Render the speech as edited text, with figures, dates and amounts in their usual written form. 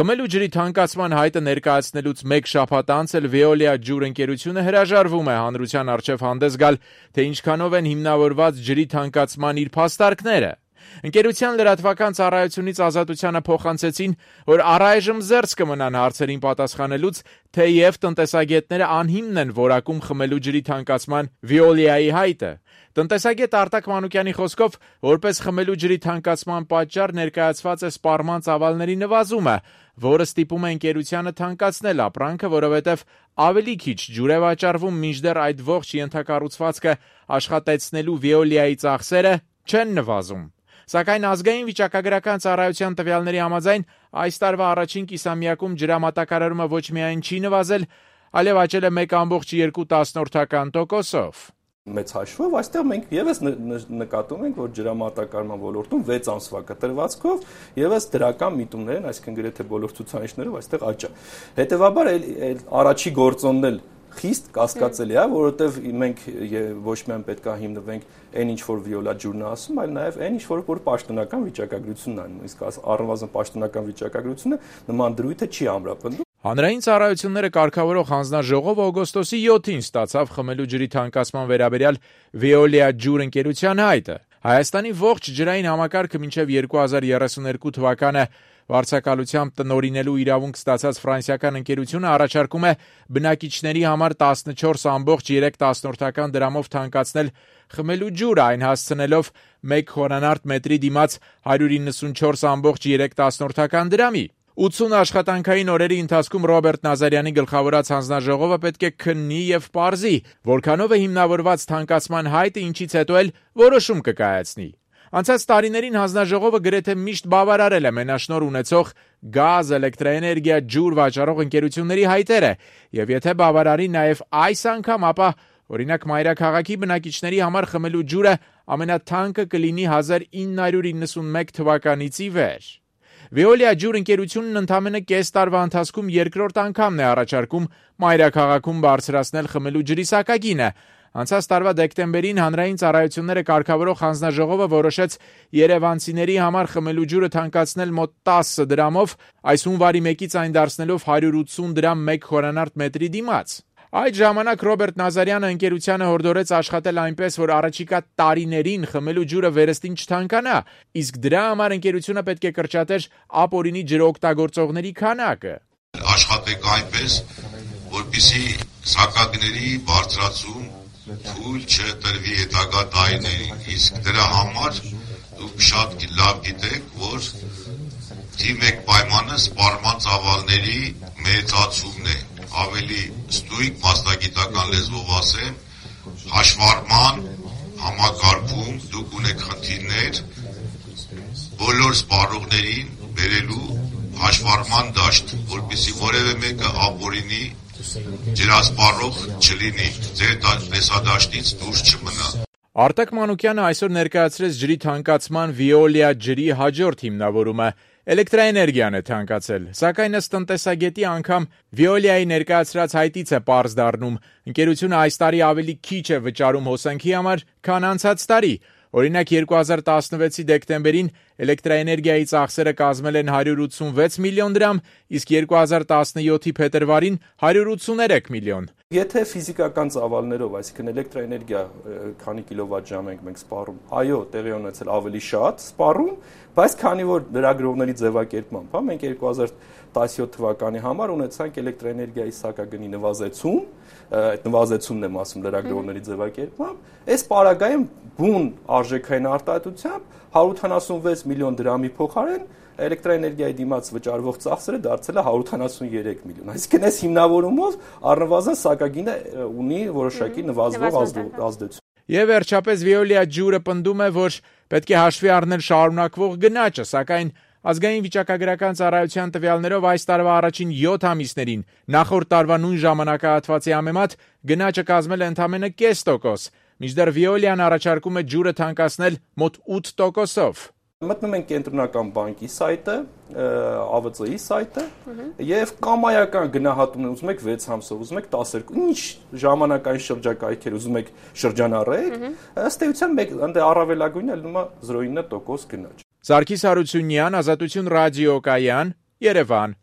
Խմելու ջրի թանկացման հայտը ներկայացնելուց մեկ շաբաթ անց էլ Veolia ջուր ընկերությունը հրաժարվում է հանրության առջև հանդես գալ, թե ինչքանով են հիմնավորված ջրի թանկացման իր փաստարկները։ Ընկերության լրատվական ծառայությունից Ազատությանը փոխանցեցին, որ առայժմ զերծ կմնան հարցերին պատասխանելուց, թեև տնտեսագետները անհիմն են որակում խմելու ջրի թանկացման Veolia-ի հայտը։ Տնտեսագետ Արտակ Մանուկյանի խոսքով, որպես խմելու ջրի թանկացման պատճառ ներկայացված է սպառման ծավալների նվազումը, որը ստիպում է ընկերությանը թանկացնել ապրանքը, որովհետև ավելի քիչ ջուր է վաճառվում, մինչդեռ այդ ողջ ենթակառուցվածքը աշխատեցնելու Veolia-ի ծախսերը չեն նվազում։ Սակայն ազգային վիճակագրական ծառայության տվյալների համաձայն այս տարվա առաջին կիսամյակում ջրամատակարարումը ոչ միայն չի նվազել, այլև աճել է 1,4%-ով։ Մեծ հաշվով այստեղ մենք եւս նկատում ենք, որ ջրամատակարարման ոլորտում 6 ամսվա կտրվածքով եւս դրական միտումներ են, այսինքն գրեթե բոլոր ցուցանիշներով այստեղ աճ է։ Հետևաբար առաջի գործոնն էլ խիստ կասկածելի է, որովհետև մենք ոչ միայն պետք է հիմնվենք այն ինչ որ Veolia ջուրն է ասում, այլ նաև այն ինչ որ պաշտոնական վիճակագրությունն է, իսկ առնվազն պաշտոնական վիճակագրությունը նման դրույթը չի ամրապնդում։ Հանրային ծառայությունները կարգավորող հանձնաժողովը օգոստոսի 7-ին ստացավ խմելու ջրի թանկացման վերաբերյալ Veolia ջուր ընկերության հայտը։ Հայաստանի ողջ ջրային համակարգը մինչև 2032 թվականը վարձակալությամբ տնօրինելու իրավունք ստացած ֆրանսիական ընկերությունը առաջարկում է բնակիչների համար 14.3 դրամով թանկացնել խմելու ջուրը, այն հասցնելով 1 խորանարդ մետրի դիմաց 194.3 դրամի։ 80 աշխատանքային օրերի ընթացքում Ռոբերտ Նազարյանի գլխավորած հանձնաժողովը պետք է քննի եւ պարզի, որքանով է հիմնավորված թանկացման հայտը, ինչից հետո էլ որոշում կկայացնի։ Անցած տարիներին հանձնաժողովը գրեթե միշտ բավարարել է մենաշնորհ ունեցող գազ, էլեկտրաէներգիա, ջուր վաճառող ընկերությունների հայտերը, եւ եթե բավարարի նաեւ այս անգամ, ապա օրինակ Մայրաքաղաքի բնակիչների համար խմելու ջուրը ամենաթանկը կլինի 1991 թվականից ի վեր։ Veolia ջուր ընկերությունն ընդամենը կես տարվա ընթացքում երկրորդ անգամն է առաջարկում Մայրաքաղաքում բարձրացնել խմելու ջրի սակագինը։ Անցած տարվա դեկտեմբերին հանրային ծառայությունները կարգավորող հանձնաժողովը որոշեց երևանցիների համար խմելու ջուրը թանկացնել մոտ 10 դրամով, այս հունվարի 1-ից այն դարձնելով 180 դրամ 1 խորանարդ մետրի դիմաց։ Այդ ժամանակ Ռոբերտ Նազարյանը ընկերությանը հորդորեց աշխատել այնպես, որ առաջիկա տարիներին խմելու ջուրը վերստին չթանկանա, իսկ դրա համար ընկերությունը պետք է կրճատեր ապօրինի ջրօգտագործողների քանակը։ Աշխատեք այնպես, որպեսզի սակագների բարձրացում թույլ չտրվի հետագա տարիներին, իսկ դրա համար դուք շատ լավ գիտեք, որ թիվ 1 պայմանը սպառման ծավալների մեծացումն է, ավելի ստույգ մասնագիտական լեզվով ասեմ, հաշվառման համակարգում դուք ունեք խնդիրներ բոլոր սպառողներին բերելու հաշվառման դաշտ, որպեսզի որևէ մեկը ապօրինի ջրասպառող չլինի, ձեր տեսադաշտից դուրս չմնա։ Արտակ Մանուկյանը այսօր ներկայացրեց ջրի թանկացման Veolia ջրի հաջորդ հիմնավորումը։ Էլեկտրաէներգիան է թանկացել, սակայն ըստ տնտեսագետի անգամ Veolia-ի ներկայացրած հայտից է պարզ դառնում, ընկերությունը այս տարի ավելի քիչ է վճարում հոսանքի համար, քան անցած տարի։ Օրինակ 2016-ի դեկտեմբերին էլեկտրաէներգիայի ծախսերը կազմել են 186 միլիոն դրամ, իսկ 2017-ի փետրվարին 183 միլիոն։ Եթե ֆիզիկական ծավալներով, այսինքն էլեկտրաէներգիա քանի կիլովատժամ ենք մենք սպառում, այո, տեղի ունեցել ավելի շատ սպառում, բայց քանի որ լրագրողների ձևակերպմամբ, մենք 2017 թվականի համար ունեցանք էլեկտրաէներգիայի սակագնի նվազեցում, այդ նվազեցումն եմ ասում լրագրողների ձևակերպմամբ, այս պարագայում բուն արժեքային արտահայտությամբ 186 միլիոն դրամի փոխարեն էլեկտրաէներգիայի դիմաց վճարվող ծախսերը դարձել է 183 միլիոն։ Այսինքն այս հիմնավորումով առնվազն սակագինը ունի որոշակի նվազվող ազդեցություն։ Եվ վերջապես Veolia ջուրը պնդում է, որ պետք է հաշվի առնել շարունակվող գնաճը, սակայն ազգային վիճակագրական ծառայության տվյալներով այս տարվա առաջին 7 ամիսներին նախորդ տարվա նույն ժամանակահատվածի համեմատ գնաճը կազմել է ընդամենը 0.5%, մինչդեռ Veolia-ն առաջարկում է ջուրը թանկացնել մոտ 8%-ով։ Մտնում ենք կենտրոնական բանկի սայտը, ԱՎԾ-ի սայտը եւ կամայական գնահատումն ուզում եք 6 ամսով, ուզում եք 12, ինչ ժամանակային շրջակայքեր ուզում եք շրջանառեք, ըստ էության մեկ առավելագույնը լինում է 0.9% գնաճ։ Սարգիս Հարությունյան, Ազատություն ռադիոկայան, Երևան։